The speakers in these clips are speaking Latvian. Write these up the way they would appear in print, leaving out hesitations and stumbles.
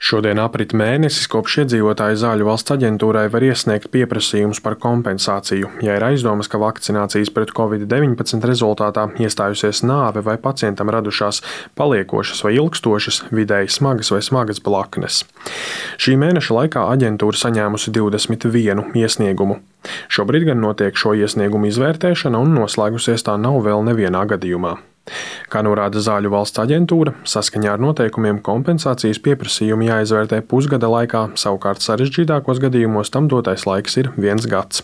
Šodien aprit mēnesis, kopš iedzīvotāji Zāļu valsts aģentūrai var iesniegt pieprasījumus par kompensāciju, ja ir aizdomas, ka vakcinācijas pret covid-19 rezultātā iestājusies nāve vai pacientam radušās paliekošas vai ilgstošas, vidēji smagas vai smagas blaknes. Šī mēneša laikā aģentūra saņēmusi 21 iesniegumu. Šobrīd gan notiek šo iesniegumu izvērtēšana un noslēgusies tā nav vēl nevienā gadījumā. Kā norāda Zāļu valsts aģentūra, saskaņā ar noteikumiem kompensācijas pieprasījumi jāizvērtē pusgada laikā, savukārt sarežģītākos gadījumos tam dotais laiks ir 1 gads.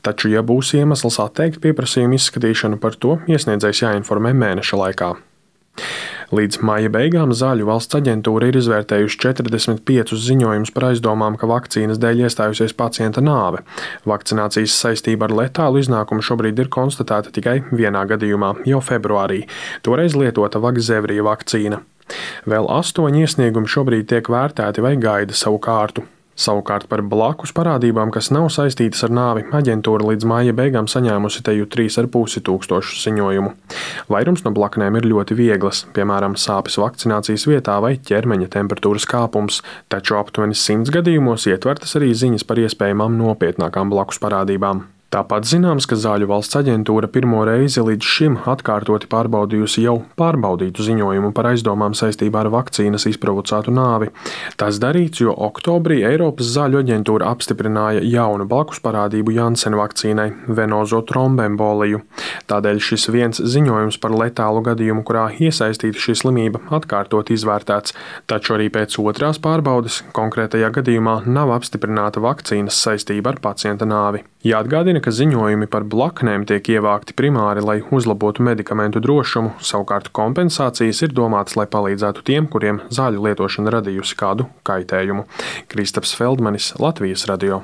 Taču, ja būs iemesls atteikt pieprasījumu izskatīšanu, par to iesniedzējs jāinformē mēneša laikā. Līdz maija beigām Zāļu valsts aģentūra ir izvērtējusi 45 ziņojumus par aizdomām, ka vakcīnas dēļ iestājusies pacienta nāve. Vakcinācijas saistība ar letālu iznākumu šobrīd ir konstatēta tikai vienā gadījumā, jau februārī. Toreiz lietota Vakzevria vakcīna. Vēl 8 iesniegumi šobrīd tiek vērtēti vai gaida savu kārtu. Savukārt par blakus parādībām, kas nav saistītas ar nāvi, aģentūra līdz māja beigām saņēmusi teju 3,5 tūkstošu ziņojumu. Vairums no blaknēm ir ļoti vieglas, piemēram, sāpes vakcinācijas vietā vai ķermeņa temperatūras kāpums, taču aptuveni 100 gadījumos ietvertas arī ziņas par iespējamām nopietnākām blakus parādībām. Tāpat zināms, ka Zāļu valsts aģentūra pirmo reizi līdz šim atkārtoti pārbaudījusi jau pārbaudītu ziņojumu par aizdomām saistībā ar vakcīnas izprovocētu nāvi. Tas darīts, jo oktobrī Eiropas Zāļu aģentūra apstiprināja jaunu blakus parādību Janssen vakcīnai – venozo trombemboliju. Tādēļ šis viens ziņojums par letālu gadījumu, kurā iesaistīta šī slimība, atkārtot izvērtēts, taču arī pēc otrās pārbaudes konkrētajā gadījumā nav apstiprināta vakcīnas saistība ar pacienta nāvi. Jāatgādina, ka ziņojumi par blaknēm tiek ievākti primāri, lai uzlabotu medikamentu drošumu, savukārt kompensācijas ir domātas, lai palīdzētu tiem, kuriem zāļu lietošana radījusi kādu kaitējumu. Kristaps Feldmanis, Latvijas radio.